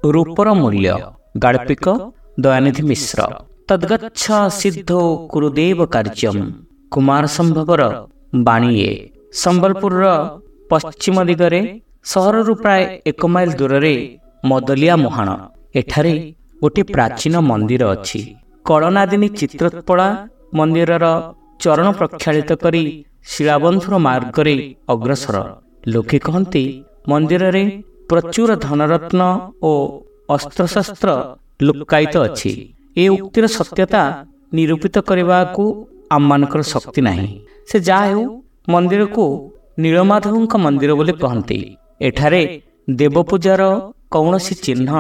ରୂପର ମୂଲ୍ୟ। ଗାଳ୍ପିକ ଦୟାନିଧି ମିଶ୍ର। ତଦ୍ଗଚ୍ଛ ସିଦ୍ଧୋ କୁରୁଦେବ କାର୍ଯ୍ୟମ୍, କୁମାର ସମ୍ଭବର ବାଣୀ ଏ। ସମ୍ବଲପୁରର ପଶ୍ଚିମ ଦିଗରେ ସହରରୁ ପ୍ରାୟ 1 ମାଇଲ ଦୂରରେ ମଦଲିଆ ମୁହାଣ। ଏଠାରେ ଗୋଟିଏ ପ୍ରାଚୀନ ମନ୍ଦିର ଅଛି। କଳନାଦିନୀ ଚିତ୍ରୋତ୍ପଳା ମନ୍ଦିରର ଚରଣ ପ୍ରକ୍ଷାଳିତ କରି ଶିଳାବନ୍ଧୁର ମାର୍ଗରେ ଅଗ୍ରସର। ଲୋକେ କହନ୍ତି, ମନ୍ଦିରରେ ପ୍ରଚୁର ଧନରତ୍ନ ଓ ଅସ୍ତ୍ରଶସ୍ତ୍ର ଲୁକ୍କାୟିତ ଅଛି। ଏ ଉକ୍ତିର ସତ୍ୟତା ନିରୂପିତ କରିବାକୁ ଆମମାନଙ୍କର ଶକ୍ତି ନାହିଁ। ସେ ଯାହା ହେଉ, ମନ୍ଦିରକୁ ନୀଳମାଧବଙ୍କ ମନ୍ଦିର ବୋଲି କହନ୍ତି। ଏଠାରେ ଦେବପୂଜାର କୌଣସି ଚିହ୍ନ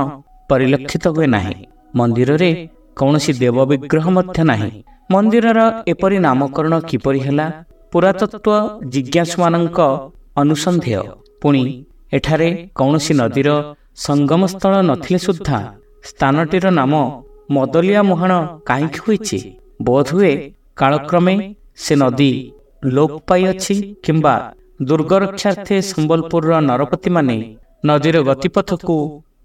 ପରିଲକ୍ଷିତ ହୁଏ ନାହିଁ। ମନ୍ଦିରରେ କୌଣସି ଦେବ ବିଗ୍ରହ ମଧ୍ୟ ନାହିଁ। ମନ୍ଦିରର ଏପରି ନାମକରଣ କିପରି ହେଲା, ପୁରାତତ୍ତ୍ୱ ଜିଜ୍ଞାସୁମାନଙ୍କ ଅନୁସନ୍ଧେୟ। ପୁଣି ଏଠାରେ କୌଣସି ନଦୀର ସଙ୍ଗମ ସ୍ଥଳ ନଥିଲେ ସୁଦ୍ଧା ସ୍ଥାନଟିର ନାମ ମଦଲିଆ ମୁହାଣ କାହିଁକି ହୋଇଛି? ବୋଧହୁଏ କାଳକ୍ରମେ ସେ ନଦୀ ଲୋପ ପାଇଅଛି କିମ୍ବା ଦୁର୍ଗରକ୍ଷାର୍ଥେ ସମ୍ବଲପୁରର ନରପତିମାନେ ନଦୀର ଗତିପଥକୁ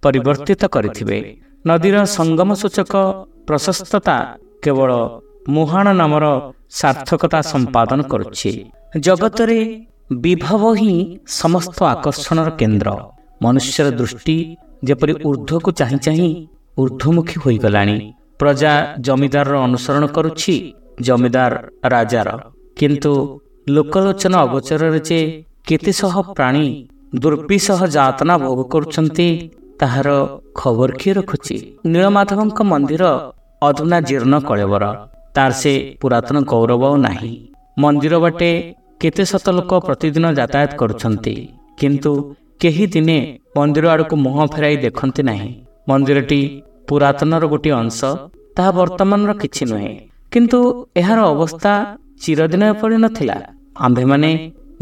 ପରିବର୍ତ୍ତିତ କରିଥିବେ। ନଦୀର ସଙ୍ଗମ ସୂଚକ ପ୍ରଶସ୍ତତା କେବଳ ମୁହାଣ ନାମର ସାର୍ଥକତା ସମ୍ପାଦନ କରୁଛି। ଜଗତରେ ବିଭବ ହିଁ ସମସ୍ତ ଆକର୍ଷଣର କେନ୍ଦ୍ର। ମନୁଷ୍ୟର ଦୃଷ୍ଟି ଯେପରି ଉର୍ଦ୍ଧ୍ୱକୁ ଚାହିଁ ଚାହିଁ ଉର୍ଦ୍ଧ୍ୱମୁଖୀ ହୋଇଗଲାଣି। ପ୍ରଜା ଜମିଦାରର ଅନୁସରଣ କରୁଛି, ଜମିଦାର ରାଜାର। କିନ୍ତୁ ଲୋକଲୋଚନ ଅଗୋଚରରେ ଯେ କେତେ ଶହ ପ୍ରାଣୀ ଦୁର୍ବିସହ ଯାତନା ଭୋଗ କରୁଛନ୍ତି, ତାହାର ଖବର କିଏ ରଖୁଛି? ନୀଳମାଧବଙ୍କ ମନ୍ଦିର ଅଧୁନା ଜୀର୍ଣ୍ଣ କଳେବର। ତାର ସେ ପୁରାତନ ଗୌରବ ଆଉ ନାହିଁ। ମନ୍ଦିର ବାଟେ କେତେ ଶତ ଲୋକ ପ୍ରତିଦିନ ଯାତାୟାତ କରୁଛନ୍ତି, କିନ୍ତୁ କେହି ଦିନେ ମନ୍ଦିର ଆଡ଼କୁ ମୁହଁ ଫେରାଇ ଦେଖନ୍ତି ନାହିଁ। ମନ୍ଦିରଟି ପୁରାତନର ଗୋଟିଏ ଅଂଶ, ତାହା ବର୍ତ୍ତମାନର କିଛି ନୁହେଁ। କିନ୍ତୁ ଏହାର ଅବସ୍ଥା ଚିରଦିନ ଏପରି ନଥିଲା। ଆମ୍ଭେମାନେ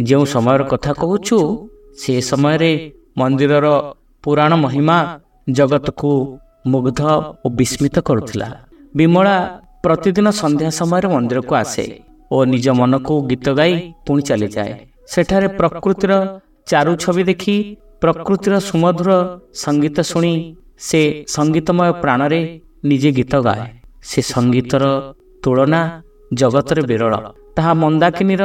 ଯେଉଁ ସମୟର କଥା କହୁଛୁ, ସେ ସମୟରେ ମନ୍ଦିରର ପୁରାଣ ମହିମା ଜଗତକୁ ମୁଗ୍ଧ ଓ ବିସ୍ମିତ କରୁଥିଲା। ବିମଳା ପ୍ରତିଦିନ ସନ୍ଧ୍ୟା ସମୟରେ ମନ୍ଦିରକୁ ଆସେ ଓ ନିଜ ମନକୁ ଗୀତ ଗାଇ ପୁଣି ଚାଲିଯାଏ। ସେଠାରେ ପ୍ରକୃତିର ଚାରୁ ଛବି ଦେଖି, ପ୍ରକୃତିର ସୁମଧୁର ସଙ୍ଗୀତ ଶୁଣି ସେ ସଙ୍ଗୀତମୟ ପ୍ରାଣରେ ନିଜେ ଗୀତ ଗାଏ। ସେ ସଙ୍ଗୀତର ତୁଳନା ଜଗତରେ ବିରଳ। ତାହା ମନ୍ଦାକିନୀର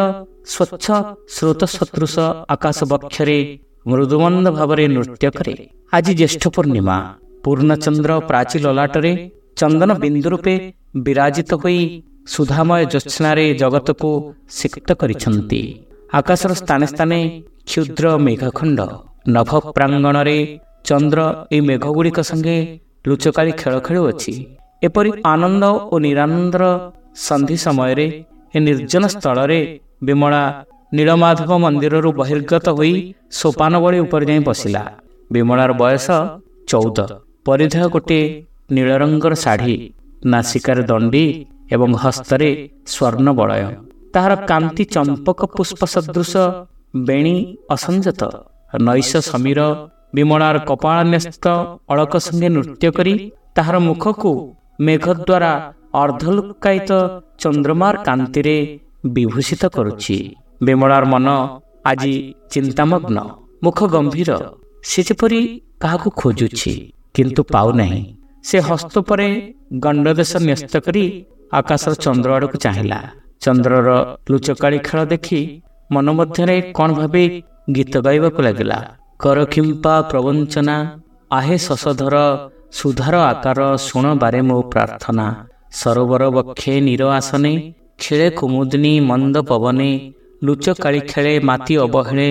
ସ୍ୱଚ୍ଛ ସ୍ରୋତ ସଦୃଶ ଆକାଶ ବକ୍ଷରେ ମୃଦୁମନ୍ଦ ଭାବରେ ନୃତ୍ୟ କରେ। ଆଜି ଜ୍ୟେଷ୍ଠ ପୂର୍ଣ୍ଣିମା। ପୂର୍ଣ୍ଣଚନ୍ଦ୍ର ପ୍ରାଚୀ ଲଲାଟରେ ଚନ୍ଦନ ବିନ୍ଦୁ ରୂପେ ବିରାଜିତ ହୋଇ ସୁଧାମୟ ଜ୍ୟୋତ୍ସ୍ନାରେ ଜଗତକୁ ସିକ୍ତ କରିଛନ୍ତି। ଆକାଶର ସ୍ଥାନେ ସ୍ଥାନେ କ୍ଷୁଦ୍ର ମେଘଖଣ୍ଡ। ନଭ ପ୍ରାଙ୍ଗଣରେ ଚନ୍ଦ୍ର ଏହି ମେଘଗୁଡ଼ିକ ସଙ୍ଗେ ଲୁଚକାଳି ଖେଳ ଖେଳୁଅଛି। ଏପରି ଆନନ୍ଦ ଓ ନିରାନନ୍ଦର ସନ୍ଧି ସମୟରେ ଏ ନିର୍ଜନ ସ୍ଥଳରେ ବିମଳା ନୀଳମାଧବ ମନ୍ଦିରରୁ ବହିର୍ଗତ ହୋଇ ସୋପାନବଳୀ ଉପରେ ଯାଇ ବସିଲା। ବିମଳାର ବୟସ 14। ପରିଧେୟ ଗୋଟିଏ ନୀଳ ରଙ୍ଗର ଶାଢ଼ୀ, ନାସିକାରେ ଦଣ୍ଡି ଏବଂ ହସ୍ତରେ ସ୍ୱର୍ଣ୍ଣ ବଳୟ। ତାହାର କାନ୍ତି ଚମ୍ପକ ପୁଷ୍ପ ସଦୃଶ, ବେଣୀ ଅସଞ୍ଜତ। ନୈଶ ସମୀର ବିମଳାର କପାଳନ୍ୟସ୍ତ ଅଳକ ସଙ୍ଗେ ନୃତ୍ୟ କରି ତାହାର ମୁଖକୁ ମେଘ ଦ୍ୱାରା ଅର୍ଦ୍ଧଲୁକ୍କାୟିତ ଚନ୍ଦ୍ରମାର କାନ୍ତିରେ ବିଭୂଷିତ କରୁଛି। ବିମଳାର ମନ ଆଜି ଚିନ୍ତାମଗ୍ନ, ମୁଖ ଗମ୍ଭୀର। ସେ ଯେପରି କାହାକୁ ଖୋଜୁଛି, କିନ୍ତୁ ପାଉନାହିଁ। ସେ ହସ୍ତ ପରେ ଗଣ୍ଡଦେଶ ନ୍ୟସ୍ତ କରି ଆକାଶର ଚନ୍ଦ୍ର ଆଡ଼କୁ ଚାହିଁଲା। ଚନ୍ଦ୍ରର ଲୁଚକାଳି ଖେଳ ଦେଖି ମନ ମଧ୍ୟରେ କ'ଣ ଭାବି ଗୀତ ଗାଇବାକୁ ଲାଗିଲା। କର କିମ୍ପା ପ୍ରବଞ୍ଚନା, ଆହେ ଶଶଧର, ସୁଧାର ଆକାର ଶୁଣ ବାରେ ମୋ ପ୍ରାର୍ଥନା। ସରୋବର ବକ୍ଷେ ନୀର ଆସନେ, ଖେଳେ କୁମୁଦିନୀ ମନ୍ଦ ପବନେ, ଲୁଚକାଳି ଖେଳେ ମାତି ଅବହେଳେ,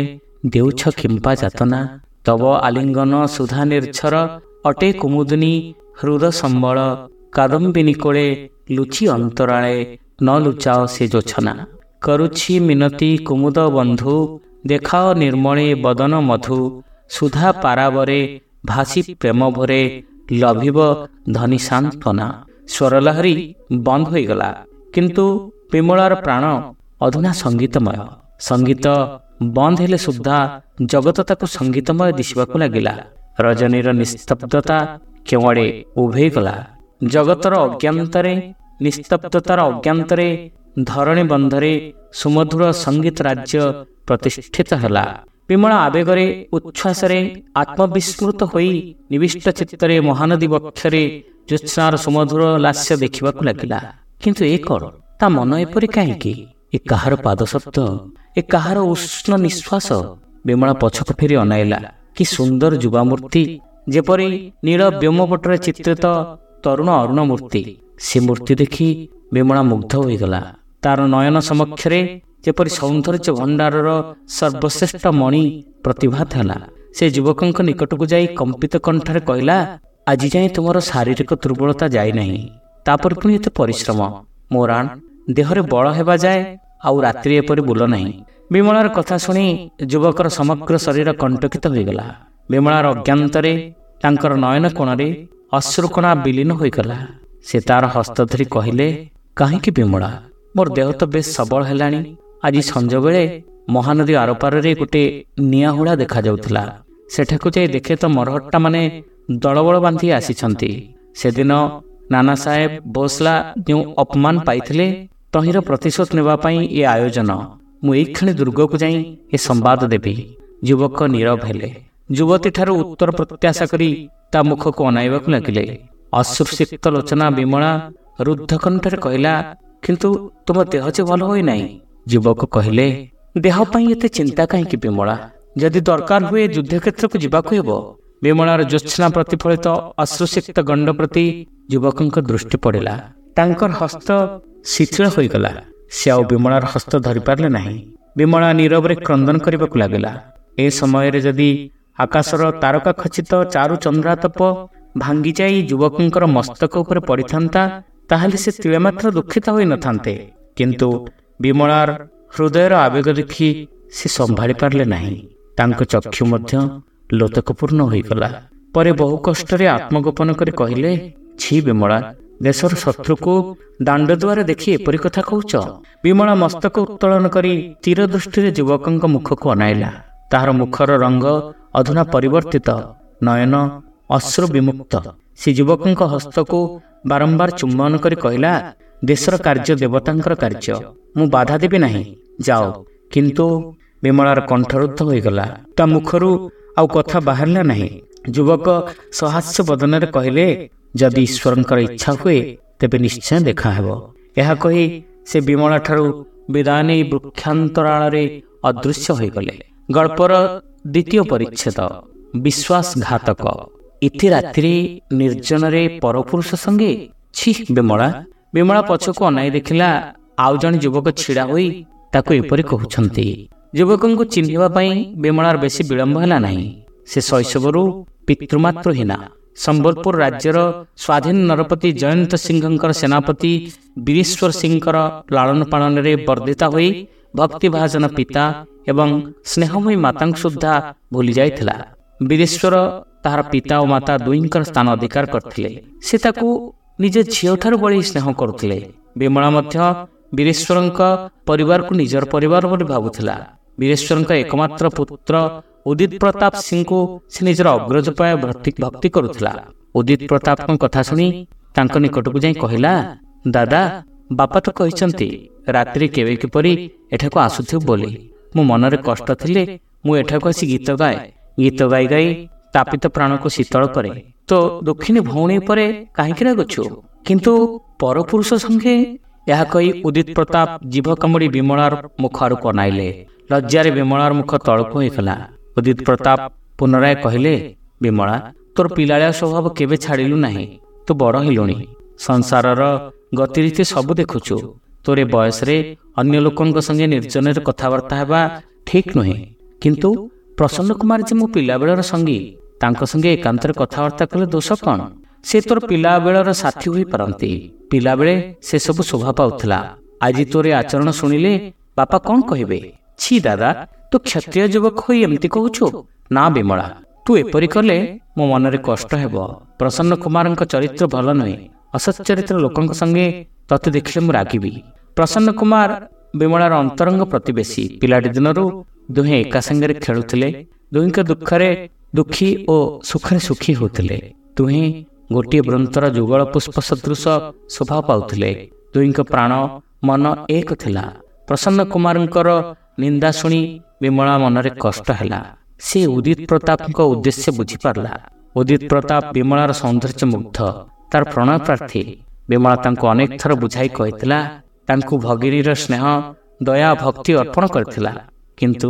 ଦେଉଛ କିମ୍ପା ଯାତନା। ତବ ଆଲିଙ୍ଗନ ସୁଧା ନିର୍ଝର, ଅଟେ କୁମୁଦିନୀ ହୃଦ ସମ୍ବଳ, କାଦମ୍ବିନୀ କୋଳେ ଲୁଚି ଅନ୍ତରାଳେ, ନ ଲୁଚାଅ ସେ ଜୋଛନା। କରୁଛି ମିନତି କୁମୁଦ ବନ୍ଧୁ, ଦେଖାଅ ନିର୍ମଳେ ବଦନ ମଧୁ, ସୁଧା ପାରାବରେ ଭାସି ପ୍ରେମ ଭରେ, ଲଭିବ ଧନୀ ସାନ୍ତ୍ୱନା। ସ୍ୱରଲହରୀ ବନ୍ଦ ହୋଇଗଲା, କିନ୍ତୁ ବିମଳାର ପ୍ରାଣ ଅଧୁନା ସଙ୍ଗୀତମୟ। ସଙ୍ଗୀତ ବନ୍ଦ ହେଲେ ସୁଦ୍ଧା ଜଗତ ତାକୁ ସଙ୍ଗୀତମୟ ଦିଶିବାକୁ ଲାଗିଲା। ରଜନୀର ନିସ୍ତବ୍ଧତା କେଉଁଆଡ଼େ ଉଭେଇଗଲା। ଜଗତର ଅଜ୍ଞାନ୍ତରେ, ନିସ୍ତବ୍ଧତାର ଅଜ୍ଞାନ୍ତରେ, ଧରଣୀ ବନ୍ଧରେ ସୁମଧୁର ସଙ୍ଗୀତ ରାଜ୍ୟ ପ୍ରତିଷ୍ଠିତ ହେଲା। ବିମଳା ଆବେଗରେ, ଉଚ୍ଛ୍ୱାସରେ ଆତ୍ମବିସ୍ମୃତ ହୋଇ ନିବିଷ୍ଟ ଚିତ୍ତରେ ମହାନଦୀ ବକ୍ଷରେ ଜ୍ୟୋତ୍ସ୍ନାର ସୁମଧୁର ଲାସ୍ୟ ଦେଖିବାକୁ ଲାଗିଲା। କିନ୍ତୁ ଏ କ'ଣ? ତା ମନ ଏପରି କାହିଁକି? ଏ କାହାର ପାଦଶବ୍ଦ? ଏ କାହାର ଉଷ୍ଣ ନିଶ୍ୱାସ? ବିମଳା ପଛକୁ ଫେରି ଅନାଇଲା। କି ସୁନ୍ଦର ଯୁବାମୂର୍ତ୍ତି, ଯେପରି ନୀଳ ବ୍ୟୋମପଟରେ ଚିତ୍ରିତ ତରୁଣ ଅରୁଣ ମୂର୍ତ୍ତି। ସେ ମୂର୍ତ୍ତି ଦେଖି ବିମଳା ମୁଗ୍ଧ ହୋଇଗଲା। ତାର ନୟନ ସମକ୍ଷରେ ଯେପରି ସୌନ୍ଦର୍ଯ୍ୟ ଭଣ୍ଡାରର ସର୍ବଶ୍ରେଷ୍ଠ ମଣି ପ୍ରତିଭାତ ହେଲା। ସେ ଯୁବକଙ୍କ ନିକଟକୁ ଯାଇ କମ୍ପିତ କଣ୍ଠରେ କହିଲା, ଆଜି ଯାଏଁ ତୁମର ଶାରୀରିକ ଦୁର୍ବଳତା ଯାଇନାହିଁ, ତାପରେ ପୁଣି ଏତେ ପରିଶ୍ରମ। ମୋରାଣ ଦେହରେ ବଳ ହେବା ଯାଏ ଆଉ ରାତ୍ରି ଏପରି ବୁଲ ନାହିଁ। ବିମଳାର କଥା ଶୁଣି ଯୁବକର ସମଗ୍ର ଶରୀର କଣ୍ଟକିତ ହୋଇଗଲା। ବିମଳାର ଅଜ୍ଞାତରେ ତାଙ୍କର ନୟନ କୋଣରେ ଅଶ୍ରୁକଣା ବିଲୀନ ହୋଇଗଲା। ସେ ତାର ହସ୍ତ ଧରି କହିଲେ, କାହିଁକି ବିମଳା, ମୋର ଦେହ ତ ବେଶ ସବଳ ହେଲାଣି। ଆଜି ସଞ୍ଜବେଳେ ମହାନଦୀ ଆରପାରରେ ଗୋଟେ ନିଆଁହୁଳା ଦେଖାଯାଉଥିଲା। ସେଠାକୁ ଯାଇ ଦେଖେ ତ ମରହଟ୍ଟାମାନେ ଦଳବଳ ବାନ୍ଧି ଆସିଛନ୍ତି। ସେଦିନ ନାନା ସାହେବ ଭୋସଲା ଯେଉଁ ଅପମାନ ପାଇଥିଲେ, ତହିଁର ପ୍ରତିଶୋଧ ନେବା ପାଇଁ ଏ ଆୟୋଜନ। ମୁଁ ଏଇକ୍ଷଣି ଦୁର୍ଗକୁ ଯାଇ ଏ ସମ୍ବାଦ ଦେବି। ଯୁବକ ନୀରବ ହେଲେ। ଯୁବତୀଠାରୁ ଉତ୍ତର ପ୍ରତ୍ୟାଶା କରି ତା ମୁଖକୁ ଅନାଇବାକୁ ଲାଗିଲେ। ଅଶ୍ରୁସିକ୍ତ ଲୋଚନା ବିମଳା ରୁଦ୍ଧ କଣ୍ଠରେ କହିଲା, କିନ୍ତୁ ତୁମ ଦେହ ଯେ ଭଲ ହୋଇନାହିଁ। ଯୁବକ କହିଲେ, ଦେହ ପାଇଁ ଏତେ ଚିନ୍ତା କାହିଁକି ବିମଳା? ଯଦି ଦରକାର ହୁଏ ଯୁଦ୍ଧକ୍ଷେତ୍ରକୁ ଯିବାକୁ ହେବ। ବିମଳାର ଜ୍ୟୋତ୍ସ୍ନା ପ୍ରତିଫଳିତ ଅଶ୍ରୁସିକ୍ତ ଗଣ୍ଡ ପ୍ରତି ଯୁବକଙ୍କ ଦୃଷ୍ଟି ପଡ଼ିଲା। ତାଙ୍କର ହସ୍ତ ଶିଥିଳ ହୋଇଗଲା। ସେ ଆଉ ବିମଳାର ହସ୍ତ ଧରିପାରିଲେ ନାହିଁ। ବିମଳା ନୀରବରେ କ୍ରନ୍ଦନ କରିବାକୁ ଲାଗିଲା। ଏ ସମୟରେ ଯଦି ଆକାଶର ତାରକା ଖଚିତ ଚାରୁ ଚନ୍ଦ୍ରାତପ ଭାଙ୍ଗିଯାଇ ଯୁବକଙ୍କର ମସ୍ତକ ଉପରେ ପଡ଼ିଥାନ୍ତା, ତାହେଲେ ସେ ତିଳେ ମାତ୍ର ଦୁଃଖିତ ହୋଇନଥାନ୍ତେ। କିନ୍ତୁ ବିମଳାର ହୃଦୟର ଆବେଗ ଦେଖି ସେ ସମ୍ଭାଳି ପାରିଲେ ନାହିଁ। ତାଙ୍କ ଚକ୍ଷୁ ମଧ୍ୟ ଲୋତକପୂର୍ଣ୍ଣ ହୋଇଗଲା। ପରେ ବହୁ କଷ୍ଟରେ ଆତ୍ମଗୋପନ କରି କହିଲେ, ଛି ବିମଳା, ଦେଶର ଶତ୍ରୁକୁ ଦାଣ୍ଡ ଦୁଆରେ ଦେଖି ଏପରି କଥା କହୁଛ? ବିମଳା ମସ୍ତକ ଉତ୍ତୋଳନ କରି ତୀର ଦୃଷ୍ଟିରେ ଯୁବକଙ୍କ ମୁଖକୁ ଅନାଇଲା। ତାହାର ମୁଖର ରଙ୍ଗ ଅଧୁନା ପରିବର୍ତ୍ତିତ, ନୟନ ଅଶ୍ରୁ ବିମୁକ୍ତ। ସେ ଯୁବକଙ୍କ ହସ୍ତକୁ ବାରମ୍ବାର ଚୁମ୍ବନ କରି କହିଲା, ଦେଶର କାର୍ଯ୍ୟ ଦେବତାଙ୍କର କାର୍ଯ୍ୟ, ମୁଁ ବାଧା ଦେବି ନାହିଁ, ଯାଅ। କିନ୍ତୁ ବିମଳାର କଣ୍ଠରୁଦ୍ଧ ହୋଇଗଲା। ତା ମୁଖରୁ ଆଉ କଥା ବାହାରିଲା ନାହିଁ। ଯୁବକ ସହାସ୍ୟ ବଦନରେ କହିଲେ, ଯଦି ଈଶ୍ୱରଙ୍କର ଇଚ୍ଛା ହୁଏ ତେବେ ନିଶ୍ଚୟ ଦେଖାହେବ। ଏହା କହି ସେ ବିମଳା ଠାରୁ ବିଦାୟ ନେଇ ବୃକ୍ଷାନ୍ତରାଳରେ ଅଦୃଶ୍ୟ ହୋଇଗଲେ। ଗଳ୍ପର ଦ୍ୱିତୀୟ ପରିଚ୍ଛେଦ, ବିଶ୍ୱାସଘାତକ। ଇତି ରାତିରେ ନିର୍ଜନରେ ପରପୁରୁଷ ସଙ୍ଗେ? ଛି ବିମଳା। ବିମଳା ପଛକୁ ଅନାଇ ଦେଖିଲା, ଆଉ ଜଣେ ଯୁବକ ଛିଡ଼ା ହୋଇ ତାକୁ ଏପରି କହୁଛନ୍ତି। ଯୁବକଙ୍କୁ ଚିହ୍ନିବା ପାଇଁ ବିମଳାର ବେଶୀ ବିଳମ୍ବ ହେଲା ନାହିଁ। ସେ ଶୈଶବରୁ ପିତୃମାତୃହୀନା। ସମ୍ବଲପୁର ରାଜ୍ୟର ସ୍ୱାଧୀନ ନରପତି ଜୟନ୍ତ ସିଂହଙ୍କର ସେନାପତି ବୀରେଶ୍ୱର ସିଂହଙ୍କର ଲାଳନ ପାଳନରେ ବର୍ଦ୍ଧିତା ହୋଇ ଭକ୍ତିଭାଜନ ପିତା ଏବଂ ସ୍ନେହମୟୀ ମାତାଙ୍କୁ ସୁଦ୍ଧା ଭୁଲି ଯାଇଥିଲା। ବୀରେଶ୍ୱର ତାହାର ପିତା ଓ ମାତା ଦୁହିଁଙ୍କର ସ୍ଥାନ ଅଧିକାର କରିଥିଲେ। ସେ ତାକୁ ନିଜ ଝିଅଠାରୁ ବଳି ସ୍ନେହ କରୁଥିଲେ। ବିମଳା ମଧ୍ୟ ବୀରେଶ୍ୱରଙ୍କ ପରିବାରକୁ ନିଜର ପରିବାର ବୋଲି ଭାବୁଥିଲା। ବୀରେଶ୍ୱରଙ୍କ ଏକମାତ୍ର ପୁତ୍ର ଉଦିତ ପ୍ରତାପ ସିଂଙ୍କୁ ସେ ନିଜର ଅଗ୍ରଜ ପ୍ରାୟ ଭକ୍ତି କରୁଥିଲା। ଉଦିତ ପ୍ରତାପଙ୍କ କଥା ଶୁଣି ତାଙ୍କ ନିକଟକୁ ଯାଇ କହିଲା, ଦାଦା, ବାପା ତ କହିଛନ୍ତି ରାତିରେ କେବେ କିପରି ଏଠାକୁ ଆସୁଥିବୁ ବୋଲି। ମୋ ମନରେ କଷ୍ଟ ଥିଲେ ମୁଁ ଏଠାକୁ ଆସି ଗୀତ ଗାଏ। ଗୀତ ଗାଇ ଗାଇ ତାପିତ ପ୍ରାଣକୁ ଶୀତଳ କରେ। ତ ଦୁଃଖିନୀ ଭଉଣୀ ଉପରେ କାହିଁକି ରାଗୁଛୁ? କିନ୍ତୁ ପରପୁରୁଷ ସଙ୍ଗେ? ଏହା କହି ଉଦିତ ପ୍ରତାପ ଜିଭ କାମୁଡ଼ି ବିମଳାର ମୁଖ ଆଡ଼କୁ ଅନାଇଲେ। ଲଜ୍ଜାରେ ବିମଳାର ମୁଖ ତଳକୁ ହୋଇଗଲା। ଉଦିତ ପ୍ରତାପ ପୁନରାୟ କହିଲେ, ବିମଳା, ତୋର ପିଲାଳିଆ ସ୍ୱଭାବ କେବେ ଛାଡ଼ିଲୁ ନାହିଁ। ତୁ ବଡ଼ ହେଲୁଣି, ସଂସାରର ଗତିରୀତି ସବୁ ଦେଖୁଛୁ। ତୋର ବୟସରେ ଅନ୍ୟ ଲୋକଙ୍କ ସଙ୍ଗେ ନିର୍ଜନରେ କଥାବାର୍ତ୍ତା ହେବା ଠିକ୍ ନୁହେଁ। କିନ୍ତୁ ପ୍ରସନ୍ନ କୁମାର ଯେ ମୋ ପିଲାବେଳର ସଙ୍ଗୀ, ତାଙ୍କ ସଙ୍ଗେ ଏକାନ୍ତରେ କଥାବାର୍ତ୍ତା କଲେ ଦୋଷ କ'ଣ? ସେ ତୋର ପିଲାବେଳର ସାଥୀ ହୋଇପାରନ୍ତି। ପିଲାବେଳେ ସେସବୁ ଶୋଭା ପାଉଥିଲା। ଆଜି ତୋର ଆଚରଣ ଶୁଣିଲେ ବାପା କ'ଣ କହିବେ? ଛି ଦାଦା, ତୁ କ୍ଷତ୍ରିୟ ଯୁବକ ହୋଇ ଏମିତି କହୁଛୁ? ନା ବିମଳା, ତୁ ଏପରି କଲେ ମୋ ମନରେ କଷ୍ଟ ହେବ। ପ୍ରସନ୍ନ କୁମାରଙ୍କ ଚରିତ୍ର ଭଲ ନୁହେଁ। ଅସଚ୍ଚରିତ୍ର ଲୋକଙ୍କ ସଙ୍ଗେ ତତେ ଦେଖିଲେ ମୁଁ ରାଗିବି। ପ୍ରସନ୍ନ କୁମାର ବିମଳାର ଅନ୍ତରଙ୍ଗ ପ୍ରତିବେଶୀ। ପିଲାଟି ଦିନରୁ ଦୁହେଁ ଏକା ସାଙ୍ଗରେ ଖେଳୁଥିଲେ। ଦୁହିଁଙ୍କ ଦୁଃଖରେ ଦୁଃଖୀ ଓ ସୁଖରେ ସୁଖୀ ହେଉଥିଲେ। ଦୁହେଁ ଗୋଟିଏ ବୃନ୍ତର ଯୁଗଳ ପୁଷ୍ପ ସଦୃଶ ଶୋଭା ପାଉଥିଲେ। ଦୁହିଁଙ୍କ ପ୍ରାଣ ମନ ଏକ ଥିଲା। ପ୍ରସନ୍ନ କୁମାରଙ୍କର ନିନ୍ଦା ଶୁଣି ବିମଳା ମନରେ କଷ୍ଟ ହେଲା। ସେ ଉଦିତ ପ୍ରତାପଙ୍କ ଉଦ୍ଦେଶ୍ୟ ବୁଝିପାରିଲା। ଉଦିତ ପ୍ରତାପ ବିମଳାର ସୌନ୍ଦର୍ଯ୍ୟ ମୁଗ୍ଧ, ତାର ପ୍ରଣୟ ପ୍ରାର୍ଥୀ। ବିମଳା ତାଙ୍କୁ ଅନେକ ଥର ବୁଝାଇ କହିଥିଲା, ତାଙ୍କୁ ଭଗିନୀର ସ୍ନେହ, ଦୟା, ଭକ୍ତି ଅର୍ପଣ କରିଥିଲା। କିନ୍ତୁ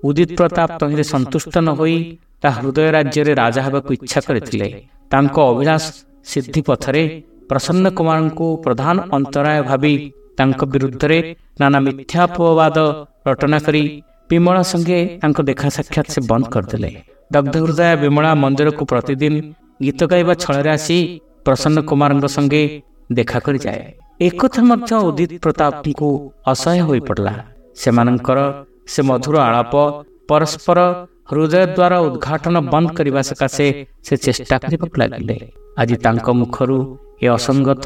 ଉଦିତ ପ୍ରତାପ ତହିଁରେ ସନ୍ତୁଷ୍ଟ ନ ହୋଇ ତା ହୃଦୟ ରାଜ୍ୟରେ ରାଜା ହେବାକୁ ଇଚ୍ଛା କରିଥିଲେ। ତାଙ୍କ ଅଭିଳାଷ ସିଦ୍ଧି ପଥରେ ପ୍ରସନ୍ନ କୁମାରଙ୍କୁ ପ୍ରଧାନ ଅନ୍ତରାୟ ଭାବି ତାଙ୍କ ବିରୁଦ୍ଧରେ ନାନା ମିଥ୍ୟାପବାଦ ରଟନା କରି ବିମଳା ସଙ୍ଗେ ତାଙ୍କ ଦେଖା ସାକ୍ଷାତ ସେ ବନ୍ଦ କରିଦେଲେ। ଦଗ୍ଧ ହୃଦୟ ବିମଳା ମନ୍ଦିରକୁ ପ୍ରତିଦିନ ଗୀତ ଗାଇବା ଛଳରେ ଆସି ପ୍ରସନ୍ନ କୁମାରଙ୍କ ସଙ୍ଗେ ଦେଖା କରିଯାଏ। ଏକଥା ମଧ୍ୟ ଉଦିତ ପ୍ରତାପଙ୍କୁ ଅସହ୍ୟ ହୋଇପଡ଼ିଲା। ସେମାନଙ୍କର ସେ ମଧୁର ଆଳାପ, ପରସ୍ପର ହୃଦୟ ଦ୍ୱାର ଉଦ୍ଘାଟନ ବନ୍ଦ କରିବା ସକାଶେ ସେ ଚେଷ୍ଟା କରିବାକୁ ଲାଗିଲେ। ଆଜି ତାଙ୍କ ମୁଖରୁ ଏ ଅସଙ୍ଗତ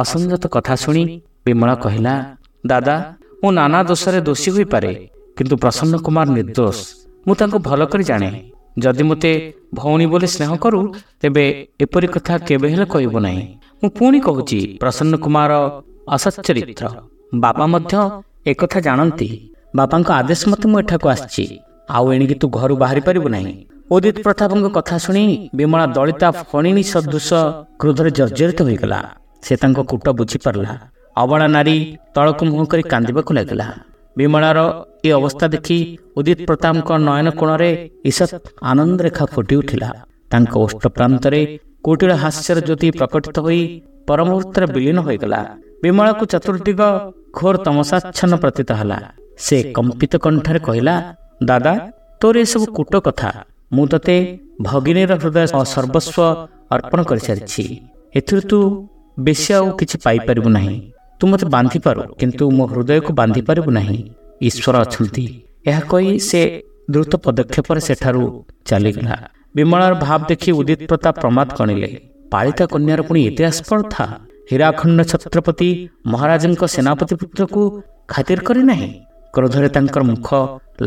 ଅସଂଯତ କଥା ଶୁଣି ବିମଳା କହିଲା, ଦାଦା, ମୁଁ ନାନା ଦୋଷରେ ଦୋଷୀ ହୋଇପାରେ, କିନ୍ତୁ ପ୍ରସନ୍ନ କୁମାର ନିର୍ଦ୍ଦୋଷ। ମୁଁ ତାଙ୍କୁ ଭଲ କରି ଜାଣେ। ଯଦି ମୋତେ ଭଉଣୀ ବୋଲି ସ୍ନେହ କରୁ, ତେବେ ଏପରି କଥା କେବେ ହେଲେ କହିବୁ ନାହିଁ। ମୁଁ ପୁଣି କହୁଛି, ପ୍ରସନ୍ନ କୁମାର ଅସଚ୍ଚରିତ୍ର। ବାପା ମଧ୍ୟ ଏକଥା ଜାଣନ୍ତି। ବାପାଙ୍କ ଆଦେଶ ମତେ ମୁଁ ଏଠାକୁ ଆସିଛି। ଆଉ ଏଣିକି ତୁ ଘରୁ ବାହାରି ପାରିବୁ ନାହିଁ। ଉଦିତ ପ୍ରତାପଙ୍କ କଥା ଶୁଣି ବିମଳା ଦଳିତା ଫଣିନୀ ସଦୃଶ କ୍ରୋଧରେ ଜର୍ଜରିତ ହୋଇଗଲା। ସେ ତାଙ୍କ କୂଟ ବୁଝିପାରିଲା। ଅବଳା ନାରୀ ତଳକୁ ମୁହଁ କରି କାନ୍ଦିବାକୁ ଲାଗିଲା। ବିମଳାର ଏ ଅବସ୍ଥା ଦେଖି ଉଦିତ ପ୍ରତାପଙ୍କ ନୟନ କୋଣରେ ଈଷତ୍ ଆନନ୍ଦ ରେଖା ଫୁଟି ଉଠିଲା। ତାଙ୍କ ଓଷ୍ଠ ପ୍ରାନ୍ତରେ କୁଟିଳ ହାସ୍ୟର ଜ୍ୟୋତି ପ୍ରକଟିତ ହୋଇ ପରମୁହୂର୍ତ୍ତରେ ବିଲୀନ ହୋଇଗଲା। ବିମଳାକୁ ଚତୁର୍ଦିଗ ଘୋର ତମସାଚ୍ଛନ୍ନ ପ୍ରତୀତ ହେଲା। ସେ କମ୍ପିତ କଣ୍ଠରେ କହିଲା, ଦାଦା, ତୋର ଏସବୁ କୂଟ କଥା। ମୁଁ ତୋତେ ଭଗିନୀର ହୃଦୟ ସର୍ବସ୍ୱ ଅର୍ପଣ କରିସାରିଛି। ଏଥିରୁ ତୁ ବେଶୀ ଆଉ କିଛି ପାଇପାରିବୁ ନାହିଁ। ତୁ ମୋତେ ବାନ୍ଧିପାରୁ, କିନ୍ତୁ ମୋ ହୃଦୟକୁ ବାନ୍ଧିପାରିବୁ ନାହିଁ। ଈଶ୍ୱର ଅଛନ୍ତି। ଏହା କହି ସେ ଦ୍ରୁତ ପଦକ୍ଷେପରେ ସେଠାରୁ ଚାଲିଗଲା। ବିମଳାର ଭାବ ଦେଖି ଉଦିତ ପ୍ରତାପ ପ୍ରମାଦ ଗଣିଲେ। ପାଳିତା କନ୍ୟାର ପୁଣି ଏତେ ଆସ୍ପର୍ଦ୍ଧା! ହୀରାଖଣ୍ଡ ଛତ୍ରପତି ମହାରାଜଙ୍କ ସେନାପତି ପୁତ୍ରକୁ ଖାତିର କରି ନାହିଁ। କ୍ରୋଧରେ ତାଙ୍କର ମୁଖ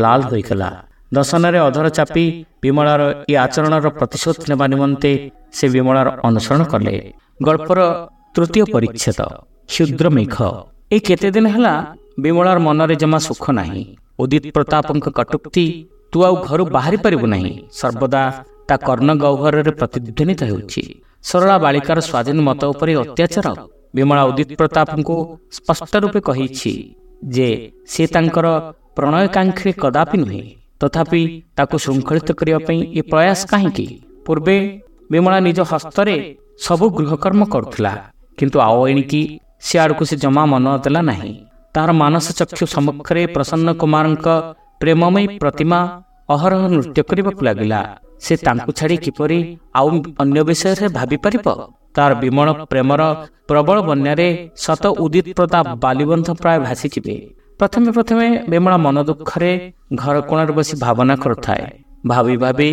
ଲାଲ ହୋଇଗଲା। ଦଶନରେ ଅଧର ଚାପି ବିମଳାର ଏ ଆଚରଣର ପ୍ରତିଶୋଧ ନେବା ନିମନ୍ତେ ସେ ବିମଳାର ଅନୁସରଣ କଲେ। ଗଳ୍ପର ତୃତୀୟ ପରିଚ୍ଛେଦ, କ୍ଷୁଦ୍ର ମେଘ। ଏ କେତେ ଦିନ ହେଲା ବିମଳାର ମନରେ ଜମା ସୁଖ ନାହିଁ। ଉଦିତ ପ୍ରତାପଙ୍କ କଟୁକ୍ତି, ତୁ ଆଉ ଘରୁ ବାହାରି ପାରିବୁ ନାହିଁ, ସର୍ବଦା ତା କର୍ଣ୍ଣ ଗହ୍ୱରରେ ପ୍ରତିଧ୍ୱନିତ ହେଉଛି। ସରଳା ବାଳିକାର ସ୍ୱାଧୀନ ମତ ଉପରେ ଅତ୍ୟାଚାର। ବିମଳା ଉଦିତ ପ୍ରତାପଙ୍କୁ ସ୍ପଷ୍ଟ ରୂପେ କହିଛି ଯେ ସେ ତାଙ୍କର ପ୍ରଣୟକାଂକ୍ଷୀ କଦାପି ନୁହେଁ। ତଥାପି ତାକୁ ଶୃଙ୍ଖଳିତ କରିବା ପାଇଁ ଏ ପ୍ରୟାସ କାହିଁକି? ପୂର୍ବେ ବିମଳା ନିଜ ହସ୍ତରେ ସବୁ ଗୃହକର୍ମ କରୁଥିଲା, କିନ୍ତୁ ଆଉ ଏଣିକି ସେ ଆଡ଼କୁ ସେ ଜମା ମନ ଦେଲା ନାହିଁ। ତାହାର ମାନସ ଚକ୍ଷୁ ସମ୍ମୁଖରେ ପ୍ରସନ୍ନ କୁମାରଙ୍କ ପ୍ରେମମୟୀ ପ୍ରତିମା ଅହରହ ନୃତ୍ୟ କରିବାକୁ ଲାଗିଲା। ସେ ତାଙ୍କୁ ଛାଡ଼ି କିପରି ଆଉ ଅନ୍ୟ ବିଷୟରେ ଭାବିପାରିବ? ତାର ବିମଳ ପ୍ରେମର ପ୍ରବଳ ବନ୍ୟାରେ ସତ ଉଦିତ ପ୍ରତାପ ବାଲିବନ୍ଧ ପ୍ରାୟ ଭାସିଯିବେ। ପ୍ରଥମେ ପ୍ରଥମେ ବିମଳା ମନ ଦୁଃଖରେ ଘର କୋଣରେ ବସି ଭାବନା କରୁଥାଏ। ଭାବି ଭାବି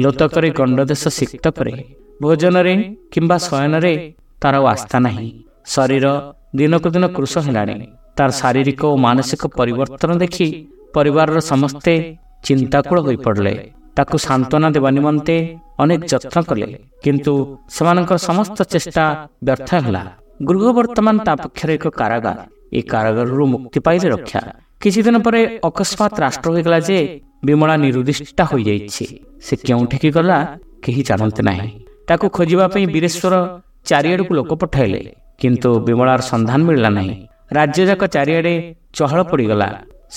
ଲୋତକରେ ଗଣ୍ଡଦେଶ ସିକ୍ତ କରେ। ଭୋଜନରେ କିମ୍ବା ଶୟନରେ ତାର ଆଉ ଆସ୍ଥା ନାହିଁ। ଶରୀର ଦିନକୁ ଦିନ କୃଶ ହେଲାଣି। ତାର ଶାରୀରିକ ଓ ମାନସିକ ପରିବର୍ତ୍ତନ ଦେଖି ପରିବାରର ସମସ୍ତେ ଚିନ୍ତାକୁଳ ହୋଇପଡ଼ିଲେ। ତାକୁ ସାନ୍ତ୍ୱନା ଦେବା ନିମନ୍ତେ ଅନେକ ଯତ୍ନ କଲେ, କିନ୍ତୁ ସେମାନଙ୍କର ସମସ୍ତ ଚେଷ୍ଟା ବ୍ୟର୍ଥ ହେଲା। ଗୃହ ବର୍ତ୍ତମାନ ତା ପକ୍ଷରେ ଏକ କାରାଗାର। ଏ କାରାଗାରରୁ ମୁକ୍ତି ପାଇଲେ ରକ୍ଷା। କିଛି ଦିନ ପରେ ଅକସ୍ମାତ ରାଷ୍ଟ୍ର ହୋଇଗଲା ଯେ ବିମଳା ନିରୁଦ୍ଦିଷ୍ଟା ହୋଇଯାଇଛି। ସେ କେଉଁଠିକି ଗଲା କେହି ଜାଣନ୍ତି ନାହିଁ। ତାକୁ ଖୋଜିବା ପାଇଁ ବୀରେଶ୍ୱର ଚାରିଆଡ଼କୁ ଲୋକ ପଠାଇଲେ, କିନ୍ତୁ ବିମଳାର ସନ୍ଧାନ ମିଳିଲା ନାହିଁ। ରାଜ୍ୟଯାକ ଚାରିଆଡ଼େ ଚହଳ ପଡ଼ିଗଲା।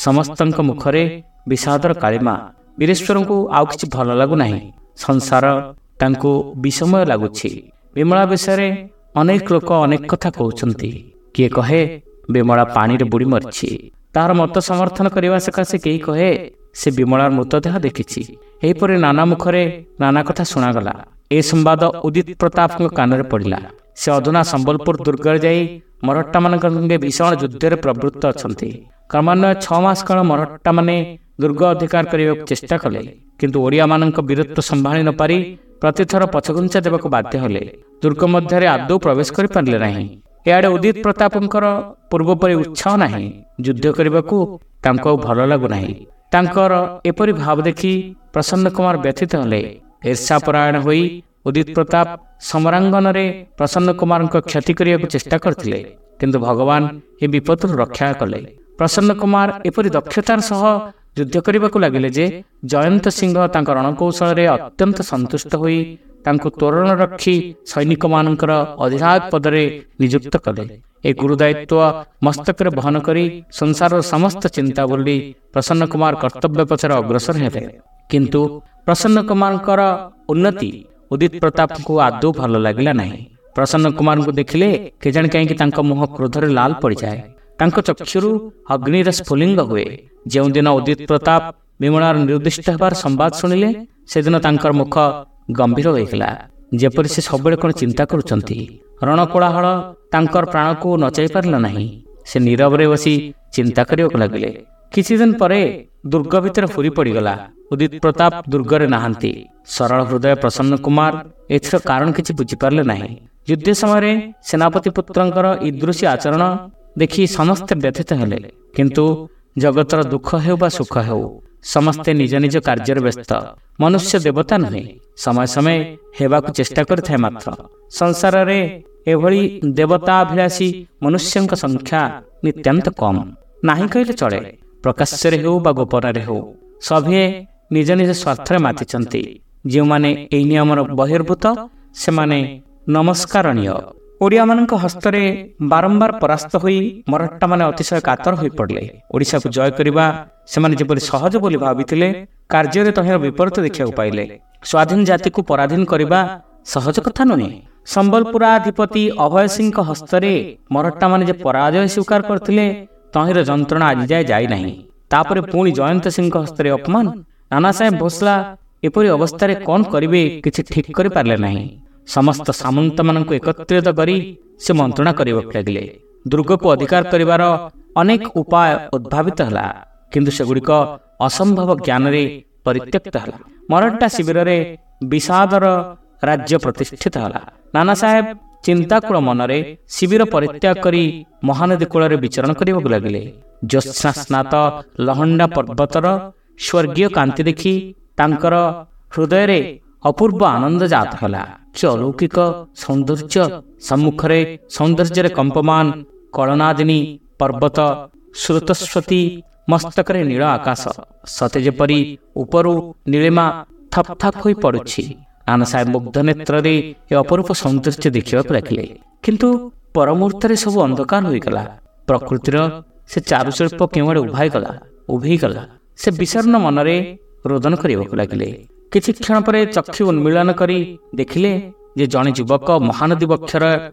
ସମସ୍ତଙ୍କ ମୁଖରେ ବିଷାଦର କାଳିମା। ବୀରେଶ୍ୱରଙ୍କୁ ଆଉ କିଛି ଭଲ ଲାଗୁନାହିଁ। ସଂସାର ତାଙ୍କୁ ବିଷମୟ ଲାଗୁଛି। ବିମଳା ବିଷୟରେ ଅନେକ ଲୋକ ଅନେକ କଥା କହୁଛନ୍ତି। କିଏ କହେ ବିମଳା ପାଣିରେ ବୁଡ଼ି ମରିଛି। ତାହାର ମତ ସମର୍ଥନ କରିବା ସକାଶେ କେହି କହେ ସେ ବିମଳାର ମୃତଦେହ ଦେଖିଛି। ଏହିପରି ନାନା ମୁଖରେ ନାନା କଥା ଶୁଣାଗଲା। ଏ ସମ୍ବାଦ ଉଦିତ ପ୍ରତାପଙ୍କ କାନରେ ପଡ଼ିଲା। ସେ ଅଧୁନା ସମ୍ବଲପୁର ଦୁର୍ଗରେ ଯାଇ ମରହଟ୍ଟାମାନଙ୍କ ସଙ୍ଗେ ଭୀଷଣ ଯୁଦ୍ଧରେ ପ୍ରବୃତ୍ତ ଅଛନ୍ତି। କ୍ରମାନ୍ୱୟ 6 ମାସ କାଳ ମରହଟ୍ଟାମାନେ ଦୁର୍ଗ ଅଧିକାର କରିବାକୁ ଚେଷ୍ଟା କଲେ, କିନ୍ତୁ ଓଡ଼ିଆମାନଙ୍କ ବୀରତ୍ୱ ସମ୍ଭାଳି ନପାରି ପ୍ରତିଥର ପଛଘୁଞ୍ଚା ଦେବାକୁ ବାଧ୍ୟ ହେଲେ। ଦୁର୍ଗ ମଧ୍ୟରେ ଆଦୌ ପ୍ରବେଶ କରିପାରିଲେ ନାହିଁ। ଏଆଡ଼େ ଉଦିତ ପ୍ରତାପଙ୍କର ପୂର୍ବପରି ଉତ୍ସାହ ନାହିଁ। ଯୁଦ୍ଧ କରିବାକୁ ତାଙ୍କୁ ଆଉ ଭଲ ଲାଗୁନାହିଁ। ତାଙ୍କର ଏପରି ଭାବ ଦେଖି ପ୍ରସନ୍ନ କୁମାର ବ୍ୟଥିତ ହେଲେ। ଈର୍ଷାପରାୟଣ ହୋଇ ଉଦିତ ପ୍ରତାପ ସମରାଙ୍ଗନରେ ପ୍ରସନ୍ନ କୁମାରଙ୍କ କ୍ଷତି କରିବାକୁ ଚେଷ୍ଟା କରିଥିଲେ, କିନ୍ତୁ ଭଗବାନ ଏ ବିପଦରୁ ରକ୍ଷା କଲେ। ପ୍ରସନ୍ନ କୁମାର ଏପରି ଦକ୍ଷତାର ସହ ଯୁଦ୍ଧ କରିବାକୁ ଲାଗିଲେ ଯେ ଜୟନ୍ତ ସିଂହ ତାଙ୍କ ରଣକୌଶଳରେ ଅତ୍ୟନ୍ତ ସନ୍ତୁଷ୍ଟ ହୋଇ ତାଙ୍କୁ ତୋରଣ ରକ୍ଷୀ ସୈନିକମାନଙ୍କର ଅଧିନାୟକ ପଦରେ ନିଯୁକ୍ତ କଲେ। ଏ ଗୁରୁଦାୟିତ୍ୱ ମସ୍ତକରେ ବହନ କରି ସଂସାରର ସମସ୍ତ ଚିନ୍ତା ବୋଲି ପ୍ରସନ୍ନ କୁମାର କର୍ତ୍ତବ୍ୟ ପଛରେ ଅଗ୍ରସର ହେଲେ। କିନ୍ତୁ ପ୍ରସନ୍ନ କୁମାରଙ୍କର ଉନ୍ନତି ଉଦିତ ପ୍ରତାପଙ୍କୁ ଆଦୌ ଭଲ ଲାଗିଲା ନାହିଁ। ପ୍ରସନ୍ନ କୁମାରଙ୍କୁ ଦେଖିଲେ କେଜାଣି କାହିଁକି ତାଙ୍କ ମୁହଁ କ୍ରୋଧରେ ଲାଲ ପଡ଼ିଯାଏ, ତାଙ୍କ ଚକ୍ଷୁରୁ ଅଗ୍ନିର ସ୍ଫୁଲିଙ୍ଗ ହୁଏ। ଯେଉଁଦିନ ଉଦିତ ପ୍ରତାପ ବିମଳାର ନିର୍ଦ୍ଦିଷ୍ଟ ହେବାର ସମ୍ବାଦ ଶୁଣିଲେ, ସେଦିନ ତାଙ୍କର ମୁଖ ଗମ୍ଭୀର ହୋଇଗଲା, ଯେପରି ସେ ସବୁବେଳେ କ'ଣ ଚିନ୍ତା କରୁଛନ୍ତି। ରଣକୋଳାହଳ ତାଙ୍କର ପ୍ରାଣକୁ ନଚାଇ ପାରିଲା ନାହିଁ। ସେ ନୀରବରେ ବସି ଚିନ୍ତା କରିବାକୁ ଲାଗିଲେ। କିଛି ଦିନ ପରେ ଦୁର୍ଗ ଭିତରେ ହୁରି ପଡ଼ିଗଲା, ଉଦିତ ପ୍ରତାପ ଦୁର୍ଗରେ ନାହାନ୍ତି। ସରଳ ହୃଦୟ ପ୍ରସନ୍ନ କୁମାର ଏଥିର କାରଣ କିଛି ବୁଝିପାରିଲେ ନାହିଁ। ଯୁଦ୍ଧ ସମୟରେ ସେନାପତି ପୁତ୍ରଙ୍କର ଇଦୃଶୀ ଆଚରଣ ଦେଖି ସମସ୍ତେ ବ୍ୟଥିତ ହେଲେ। କିନ୍ତୁ ଜଗତର ଦୁଃଖ ହେଉ ବା ସୁଖ ହେଉ, ସମସ୍ତେ ନିଜ ନିଜ କାର୍ଯ୍ୟରେ ବ୍ୟସ୍ତ। ମନୁଷ୍ୟ ଦେବତା ନୁହେଁ, ସମୟ ସମୟ ହେବାକୁ ଚେଷ୍ଟା କରିଥାଏ ମାତ୍ର। ସଂସାରରେ ଏଭଳି ଦେବତାଭିଳାଷୀ ମନୁଷ୍ୟଙ୍କ ସଂଖ୍ୟା ନିତାନ୍ତ କମ୍, ନାହିଁ କହିଲେ ଚଳେ। ପ୍ରକାଶ୍ୟରେ ହେଉ ବା ଗୋପନରେ ହେଉ, ସଭିଏଁ ନିଜ ନିଜ ସ୍ୱାର୍ଥରେ ମାତିଛନ୍ତି। ଯେଉଁମାନେ ଏହି ନିୟମର ବହିର୍ଭୂତ, ସେମାନେ ନମସ୍କାରଣୀୟ। ଓଡ଼ିଆମାନଙ୍କ ହସ୍ତରେ ବାରମ୍ବାର ପରାସ୍ତ ହୋଇ ମରହଟ୍ଟାମାନେ ଅତିଶୟ କାତର ହୋଇପଡ଼ିଲେ। ଓଡ଼ିଶାକୁ ଜୟ କରିବା ସେମାନେ ଯେପରି ସହଜ ବୋଲି ଭାବିଥିଲେ, କାର୍ଯ୍ୟରେ ତହିଁର ବିପରୀତ ଦେଖିବାକୁ ପାଇଲେ। ସ୍ୱାଧୀନ ଜାତିକୁ ପରାଧୀନ କରିବା ସହଜ କଥା ନୁହେଁ। ସମ୍ବଲପୁରାଧିପତି ଅଭୟ ସିଂଙ୍କ ହସ୍ତରେ ମରହଟ୍ଟାମାନେ ଯେ ପରାଜୟ ସ୍ୱୀକାର କରିଥିଲେ, ତହିଁର ଯନ୍ତ୍ରଣା ଆଜିଯାଏ ଯାଇନାହିଁ। ତାପରେ ପୁଣି ଜୟନ୍ତ ସିଂଙ୍କ ହସ୍ତରେ ଅପମାନ। ନାନା ସାହେବ ଭୋସଲା ଏପରି ଅବସ୍ଥାରେ କ'ଣ କରିବେ କିଛି ଠିକ୍ କରିପାରିଲେ ନାହିଁ। ସମସ୍ତ ସାମନ୍ତମାନଙ୍କୁ ଏକତ୍ରିତ କରି ସେ ମନ୍ତ୍ରଣା କରିବାକୁ ଲାଗିଲେ। ଦୁର୍ଗକୁ ଅଧିକାର କରିବାର ଅନେକ ଉପାୟ ଉଦ୍ଭାବିତ ହେଲା, କିନ୍ତୁ ସେଗୁଡ଼ିକ ଅସମ୍ଭବ ଜ୍ଞାନରେ ପରିତ୍ୟକ୍ତ ହେଲା। ମରହଟ୍ଟା ଶିବିରରେ ବିଷାଦର ରାଜ୍ୟ ପ୍ରତିଷ୍ଠିତ ହେଲା। ନାନା ସାହେବ ଚିନ୍ତାକୁଳ ମନରେ ଶିବିର ପରିତ୍ୟାଗ କରି ମହାନଦୀ କୂଳରେ ବିଚରଣ କରିବାକୁ ଲାଗିଲେ। ଜ୍ୟୋତ୍ସ୍ନାସ୍ନାତ ଲହଣ୍ଡା ପର୍ବତର ସ୍ୱର୍ଗୀୟ କାନ୍ତି ଦେଖି ତାଙ୍କର ହୃଦୟରେ ଅପୂର୍ବ ଆନନ୍ଦ ଜାତ ହେଲା। କି ଅଲୌକିକ ସୌନ୍ଦର୍ଯ୍ୟ! ସମ୍ମୁଖରେ ସୌନ୍ଦର୍ଯ୍ୟରେ କମ୍ପମାନ କଳନାଦିନୀ ପର୍ବତ, ସ୍ରୋତସ୍ୱତୀ ମସ୍ତକରେ ନୀଳ ଆକାଶ, ସତେ ଯେପରି ଉପରୁ ନୀଳିମା ଥପ୍ ଥପ୍ ହୋଇ ପଡୁଛି। ନାନା ସାହେବ ମୁଗ୍ଧ ନେତ୍ରରେ ଏ ଅପରୂପ ସୌନ୍ଦର୍ଯ୍ୟ ଦେଖିବାକୁ ଲାଗିଲେ। କିନ୍ତୁ ପରମୁହୂର୍ତ୍ତରେ ସବୁ ଅନ୍ଧକାର ହୋଇଗଲା। ପ୍ରକୃତିର ସେ ଚାରୁଶିଳ୍ପ କେଉଁଆଡ଼େ ଉଭାଇଗଲା, ଉଭେଇଗଲା। ସେ ବିଷର୍ଣ୍ଣ ମନରେ ରୋଦନ କରିବାକୁ ଲାଗିଲେ। କିଛି କ୍ଷଣ ପରେ ଚକ୍ଷୁ ଉନ୍ମୀଳନ କରି ଦେଖିଲେ ଯେ ଜଣେ ଯୁବକ ମହାନଦୀ ବକ୍ଷର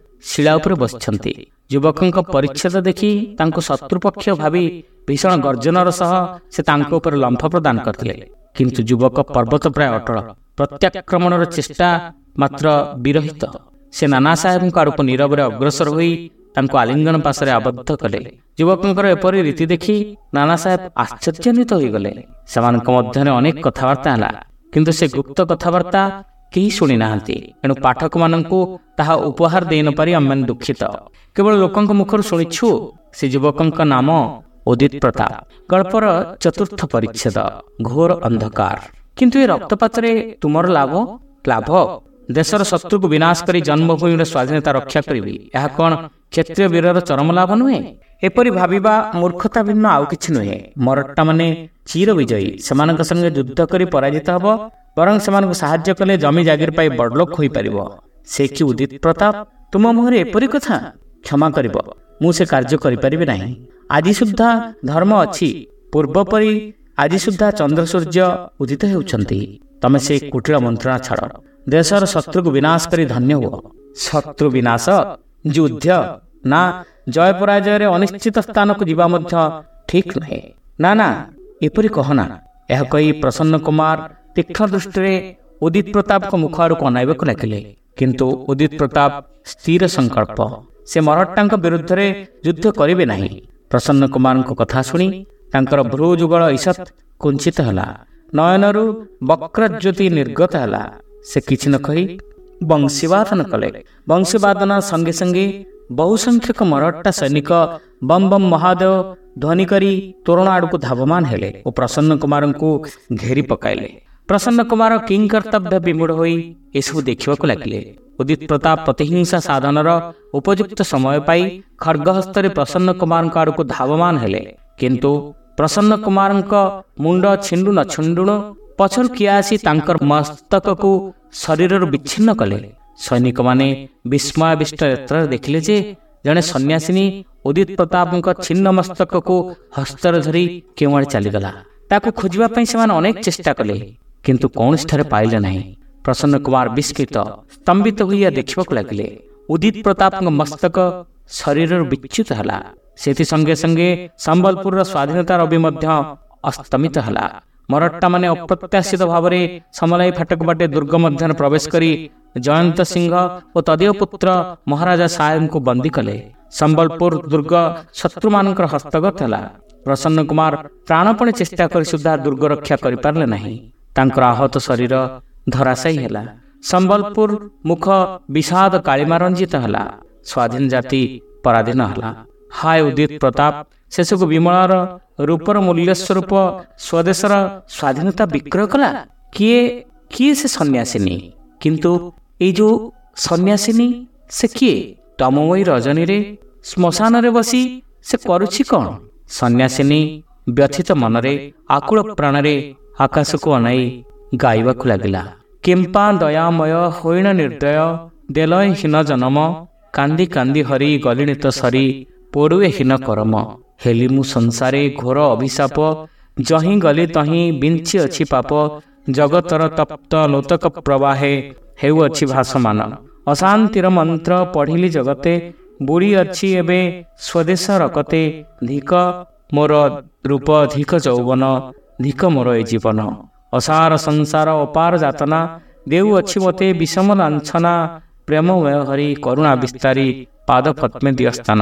ଶିଳା ଉପରେ ବସିଛନ୍ତି। ଯୁବକଙ୍କ ପରିଚ୍ଛେଦ ଦେଖି ତାଙ୍କୁ ଶତ୍ରୁପକ୍ଷ ଭାବି ଭୀଷଣ ଗର୍ଜନର ସହ ସେ ତାଙ୍କ ଉପରେ ଲମ୍ଫ ପ୍ରଦାନ କରିଥିଲେ। କିନ୍ତୁ ଯୁବକ ପର୍ବତ ପ୍ରାୟ ଅଟଳ, ପ୍ରତ୍ୟାକ୍ରମଣର ଚେଷ୍ଟା ମାତ୍ର ବିରହିତ। ସେ ନାନା ସାହେବଙ୍କ ଆଡ଼କୁ ନୀରବରେ ଅଗ୍ରସର ହୋଇ ତାଙ୍କୁ ଆଲିଙ୍ଗନ ପାଶରେ ଆବଦ୍ଧ କଲେ। ଯୁବକଙ୍କର ଏପରି ରୀତି ଦେଖି ନାନା ସାହେବ ଆଶ୍ଚର୍ଯ୍ୟାନ୍ୱିତ ହୋଇଗଲେ। ସେମାନଙ୍କ ମଧ୍ୟରେ ଅନେକ କଥାବାର୍ତ୍ତା ହେଲା, କିନ୍ତୁ ସେ ଗୁପ୍ତ କଥାବାର୍ତ୍ତା କେହି ଶୁଣି ନାହାନ୍ତି। ଏଣୁ ପାଠକମାନଙ୍କୁ ତାହା ଉପହାର ଦେଇ ନପାରି ଆମେମାନେ ଦୁଃଖିତ। କେବଳ ଲୋକଙ୍କ ମୁଖରୁ ଶୁଣିଛୁ ସେ ଯୁବକଙ୍କ ନାମ ଉଦିତ ପ୍ରତାପ। ଗଳ୍ପର ଚତୁର୍ଥ ପରିଚ୍ଛେଦ, ଘୋର ଅନ୍ଧକାର। କିନ୍ତୁ ଏ ରକ୍ତପାତରେ ତୁମର ଲାଭ? ଲାଭ? ଦେଶର ଶତ୍ରୁକୁ ବିନାଶ କରି ଜନ୍ମଭୂମିର ସ୍ୱାଧୀନତା ରକ୍ଷା କରିବି, ଏହା କ'ଣ କ୍ଷତ୍ରିୟ ବୀରର ଚରମ ଲାଭ ନୁହେଁ? ଏପରି ଭାବିବା ମୂର୍ଖତା ଭିନ୍ନ ଆଉ କିଛି ନୁହେଁ। ମରହଟ୍ଟାମାନେ ଚିର ବିଜୟୀ, ସେମାନଙ୍କ ସଙ୍ଗେ ଯୁଦ୍ଧ କରି ପରାଜିତ ହେବ, ବରଂ ସେମାନଙ୍କୁ ସାହାଯ୍ୟ କଲେ ଜମି ଜାଗିର ପାଇ ବଡ଼ଲୋକ ହୋଇପାରିବ। ସେ କି ଉଦିତ ପ୍ରତାପ, ତୁମ ମୁହଁରେ ଏପରି କଥା? କ୍ଷମା କରିବ, ମୁଁ ସେ କାର୍ଯ୍ୟ କରିପାରିବି ନାହିଁ। ଆଜି ସୁଦ୍ଧା ଧର୍ମ ଅଛି, ପୂର୍ବପରି ଆଜି ସୁଦ୍ଧା ଚନ୍ଦ୍ର ସୂର୍ଯ୍ୟ ଉଦିତ ହେଉଛନ୍ତି। ତମେ ସେ କୁଟିଳ ମନ୍ତ୍ରଣା ଛାଡ଼, ଦେଶର ଶତ୍ରୁକୁ ବିନାଶ କରି ଧନ୍ୟ ହୁଅ। ଶତ୍ରୁ ବିନାଶ? ଯୁଦ୍ଧ? ନା, ଜୟ ପରାଜୟରେ ଅନିଶ୍ଚିତ ସ୍ଥାନକୁ ଯିବା ମଧ୍ୟ ଠିକ୍ ନୁହେଁ। ନା ନା, ଏପରି କହନା। ଏହା କହି ପ୍ରସନ୍ନ କୁମାର ତୀକ୍ଷ୍ଣ ଦୃଷ୍ଟିରେ ଉଦିତ ପ୍ରତାପଙ୍କ ମୁଖ ଆଡ଼କୁ ଅନାଇବାକୁ ଲାଗିଲେ। କିନ୍ତୁ ଉଦିତ ପ୍ରତାପ ସ୍ଥିର ସଂକଳ୍ପ, ସେ ମରହଟ୍ଟାଙ୍କ ବିରୁଦ୍ଧରେ ଯୁଦ୍ଧ କରିବେ ନାହିଁ। ପ୍ରସନ୍ନ କୁମାରଙ୍କ କଥା ଶୁଣି ତାଙ୍କର ଭ୍ରୂ ଯୁଗଳ ଈଷତ୍ କୁଞ୍ଚିତ ହେଲା, ନୟନରୁ ବକ୍ରଜ୍ୟୋତି ନିର୍ଗତ ହେଲା। ସେ କିଛି ନ କହି ବଂଶୀବାଦନ କଲେ। ବଂଶୀବାଦନ ସଙ୍ଗେ ସଙ୍ଗେ ବହୁ ସଂଖ୍ୟକ ମରହଟ୍ଟା ସୈନିକ ବମ୍ ବମ୍ ମହାଦେବ ଧ୍ୱନି କରି ତୋରଣ ଆଡ଼କୁ ଧାବମାନ ହେଲେ ଓ ପ୍ରସନ୍ନ କୁମାରଙ୍କୁ ଘେରି ପକାଇଲେ। ପ୍ରସନ୍ନ କୁମାର କିଂକର୍ତ୍ତବ୍ୟ ବିମୂଢ଼ ହୋଇ ଏସବୁ ଦେଖିବାକୁ ଲାଗିଲେ। ଉଦିତ ପ୍ରତାପ ପ୍ରତିହିଂସା ସାଧନର ଉପଯୁକ୍ତ ସମୟ ପାଇ ଖଡ଼୍ଗହସ୍ତରେ ପ୍ରସନ୍ନ କୁମାରଙ୍କ ଆଡ଼କୁ ଧାବମାନ ହେଲେ। କିନ୍ତୁ ପ୍ରସନ୍ନ କୁମାରଙ୍କ ମୁଣ୍ଡ ଛିଣ୍ଡୁ ନ ଛିଣ୍ଡୁଣୁ ପଛରୁ କିଏ ଆସି ତାଙ୍କର ମସ୍ତକକୁ ଶରୀରରୁ ବିଚ୍ଛିନ୍ନ କଲେ। ସୈନିକମାନେ ବିସ୍ମୟାବିଷ୍ଟ ନେତ୍ରରେ ଦେଖିଲେ ଯେ ଜଣେ ସନ୍ନ୍ୟାସିନୀ ଉଦିତ ପ୍ରତାପଙ୍କ ଛିନ୍ନ ମସ୍ତକକୁ ହସ୍ତରେ ଧରି କେଉଁଆଡ଼େ ଚାଲିଗଲା। ତାକୁ ଖୋଜିବା ପାଇଁ ସେମାନେ ଅନେକ ଚେଷ୍ଟା କଲେ, କିନ୍ତୁ କୌଣସିଠାରେ ପାଇଲେ ନାହିଁ। ପ୍ରସନ୍ନ କୁମାର ବିସ୍ମିତ ସ୍ତମ୍ଭିତ ହୋଇ ଏହା ଦେଖିବାକୁ ଲାଗିଲେ। ଉଦିତ ପ୍ରତାପଙ୍କ ମସ୍ତକ ଶରୀରରୁ ବିଚ୍ୟୁତ ହେଲା। ସେଥି ସଙ୍ଗେ ସଙ୍ଗେ ସମ୍ବଲପୁରର ସ୍ୱାଧୀନତା ରବି ମଧ୍ୟ ଅସ୍ତମିତ ହେଲା। ମରଟ୍ଟାମାନେ ଅପ୍ରତ୍ୟାଶିତ ଭାବରେ ସମଲାଇ ଫାଟକ ବାଟେ ଦୁର୍ଗ ମଧ୍ୟରେ ପ୍ରବେଶ କରି ଜୟନ୍ତ ସିଂହ ଓ ତଦୀୟ ପୁତ୍ର ମହାରାଜା ସାହେବଙ୍କୁ ବନ୍ଦୀ କଲେ। ସମ୍ବଲପୁର ଦୁର୍ଗ ଶତ୍ରୁମାନଙ୍କର ହସ୍ତଗତ ହେଲା। ପ୍ରସନ୍ନ କୁମାର ପ୍ରାଣପଣେ ଚେଷ୍ଟା କରି ସୁଦ୍ଧା ଦୁର୍ଗ ରକ୍ଷା କରିପାରିଲେ ନାହିଁ। ତାଙ୍କର ଆହତ ଶରୀର ଧରାଶାୟୀ ହେଲା। ସମ୍ବଲପୁର ମୁଖ ବିଷାଦ କାଳିମା ରଞ୍ଜିତ ହେଲା। ସ୍ୱାଧୀନ ଜାତି ପରାଧୀନ ହେଲା। ହାୟ ଉଦିତ ପ୍ରତାପ, ଶେଷକୁ ବିମଳାର ରୂପର ମୂଲ୍ୟ ସ୍ୱରୂପ ସ୍ୱଦେଶର ସ୍ୱାଧୀନତା ବିକ୍ରୟ କଲା। କିଏ କିଏ ସେ ସନ୍ନ୍ୟାସିନୀ? କିନ୍ତୁ ଏଇ ଯୋଉ ସନ୍ନ୍ୟାସିନୀ, ସେ କିଏ? ତମମୟୀ ରଜନୀରେ ଶ୍ମଶାନରେ ବସି ସେ କରୁଛି କ'ଣ? ସନ୍ନ୍ୟାସିନୀ ବ୍ୟଥିତ ମନରେ ଆକୁଳ ପ୍ରାଣରେ ଆକାଶକୁ ଅନାଇ ଗାଇବାକୁ ଲାଗିଲା। କିମ୍ପା ଦୟାମୟ ହୋଇଣ ନିର୍ଦ୍ଦୟ, ଦେଲୟ ହୀନ ଜନମ, କାନ୍ଦି କାନ୍ଦି ହରି ଗଲିଣି ତ ସରି, ପୋଡ଼ୁଏ ହୀନ କରମ। ହେଲି ମୁଁ ସଂସାରେ ଘୋର ଅଭିଶାପ, ଯହିଁ ଗଲି ତହିଁ ବିଞ୍ଚି ଅଛି ପାପ, ଜଗତର ତପ୍ତ ଲୋତକ ପ୍ରବାହେ ହେଉଅଛି ଭାସମାନ। ଅଶାନ୍ତିର ମନ୍ତ୍ର ପଢ଼ିଲି ଜଗତେ, ବୁଡ଼ି ଅଛି ଏବେ ସ୍ୱଦେଶ ରକତେ, ଧିକ ମୋର ରୂପ ଧିକ ଯୌବନ, ଧିକ ମୋର ଏ ଜୀବନ। ଅସାର ସଂସାର ଅପାର ଯାତନା, ଦେଉଅଛି ମୋତେ ବିଷମ ଲାଞ୍ଛନା, ପ୍ରେମମୟ ହରି କରୁଣା ବିସ୍ତାରୀ, ପାଦ ପଦ୍ମେ ଦିଅ ସ୍ଥାନ।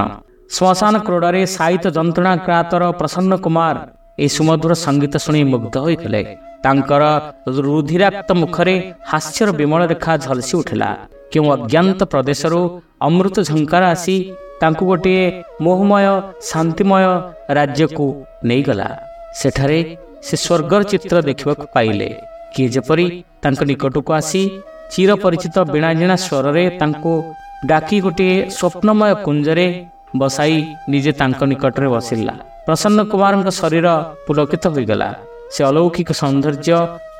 ଶ୍ମଶାନ କ୍ରୋଡ଼ରେ ସାଇତ ଯନ୍ତ୍ରଣା କ୍ରାତର ପ୍ରସନ୍ନ କୁମାର ଏହି ସୁମଧୁର ସଙ୍ଗୀତ ଶୁଣି ମୁଗ୍ଧ ହୋଇଗଲେ। ତାଙ୍କର ରୁଧିରାକ୍ତ ମୁଖରେ ହାସ୍ୟର ବିମଳ ରେଖା ଝଲସି ଉଠିଲା। କେଉଁ ଅଜ୍ଞାତ ପ୍ରଦେଶରୁ ଅମୃତ ଝଙ୍କାର ଆସି ତାଙ୍କୁ ଗୋଟିଏ ମୋହମୟ ଶାନ୍ତିମୟ ରାଜ୍ୟକୁ ନେଇଗଲା। ସେଠାରେ ସେ ସ୍ୱର୍ଗର ଚିତ୍ର ଦେଖିବାକୁ ପାଇଲେ। କିଏ ଯେପରି ତାଙ୍କ ନିକଟକୁ ଆସି ଚିରପରିଚିତ ବୀଣାଜିଣା ସ୍ୱରରେ ତାଙ୍କୁ ଡାକି ଗୋଟିଏ ସ୍ୱପ୍ନମୟ କୁଞ୍ଜରେ ବସାଇ ନିଜେ ତାଙ୍କ ନିକଟରେ ବସିଲା। ପ୍ରସନ୍ନ କୁମାରଙ୍କ ଶରୀର ପୁଲକିତ ହୋଇଗଲା। ସେ ଅଲୌକିକ ସୌନ୍ଦର୍ଯ୍ୟ,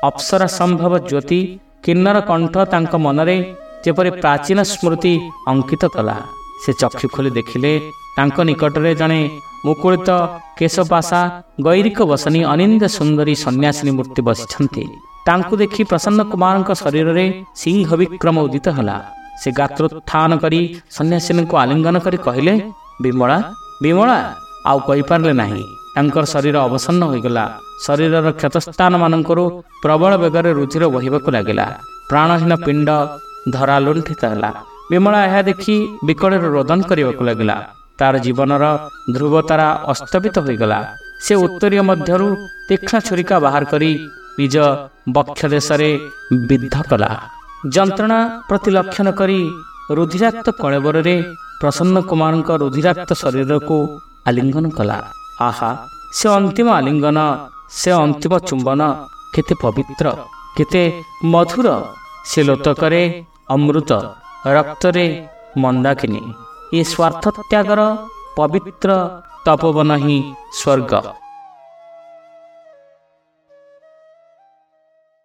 ଅପ୍ସରା ସମ୍ଭବ ଜ୍ୟୋତି, କିନ୍ନର କଣ୍ଠ ତାଙ୍କ ମନରେ ଯେପରି ପ୍ରାଚୀନ ସ୍ମୃତି ଅଙ୍କିତ କଲା। ସେ ଚକ୍ଷୁ ଖୋଲି ଦେଖିଲେ ତାଙ୍କ ନିକଟରେ ଜଣେ ମୁକୁଳିତ କେଶପାଶା ଗୈରିକ ବସନୀ ଅନିନ୍ଦ ସୁନ୍ଦରୀ ସନ୍ନ୍ୟାସିନୀ ମୂର୍ତ୍ତି ବସିଛନ୍ତି। ତାଙ୍କୁ ଦେଖି ପ୍ରସନ୍ନ କୁମାରଙ୍କ ଶରୀରରେ ସିଂହ ବିକ୍ରମ ଉଦିତ ହେଲା। ସେ ଗାତ୍ରୋତ୍ଥାନ କରି ସନ୍ନ୍ୟାସିନୀଙ୍କୁ ଆଲିଙ୍ଗନ କରି କହିଲେ, ବିମଳା, ବିମଳା। ଆଉ କହିପାରିଲେ ନାହିଁ। ତାଙ୍କର ଶରୀର ଅବସନ୍ନ ହୋଇଗଲା। ଶରୀରର କ୍ଷତସ୍ଥାନମାନଙ୍କରୁ ପ୍ରବଳ ବେଗରେ ରୁଧିର ବହିବାକୁ ଲାଗିଲା। ପ୍ରାଣହୀନ ପିଣ୍ଡ ଧରା ଲୁଣ୍ଠିତ ହେଲା। ବିମଳା ଏହା ଦେଖି ବିକଳରେ ରୋଦନ କରିବାକୁ ଲାଗିଲା। ତାର ଜୀବନର ଧ୍ରୁବତାରା ଅସ୍ତବିତ ହୋଇଗଲା। ସେ ଉତ୍ତରୀୟ ମଧ୍ୟରୁ ତୀକ୍ଷ୍ଣ ଛୁରିକା ବାହାର କରି ନିଜ ବକ୍ଷ ଦେଶରେ ବିଦ୍ଧ କଲା। ଯନ୍ତ୍ରଣା ପ୍ରତି ଲକ୍ଷଣ କରି ରୁଧିରାକ୍ତ କଳେବରରେ ପ୍ରସନ୍ନ କୁମାରଙ୍କ ରୁଧିରାକ୍ତ ଶରୀରକୁ ଆଲିଙ୍ଗନ କଲା। ଆହା, ସେ ଅନ୍ତିମ ଆଲିଙ୍ଗନ, ସେ ଅନ୍ତିମ ଚୁମ୍ବନ କେତେ ପବିତ୍ର, କେତେ ମଧୁର! ସେ ଲୋତକରେ ଅମୃତ, ରକ୍ତରେ ମନ୍ଦାକିନୀ। ଏ ସ୍ୱାର୍ଥ ତ୍ୟାଗର ପବିତ୍ର ତପୋବନ ହିଁ ସ୍ୱର୍ଗ।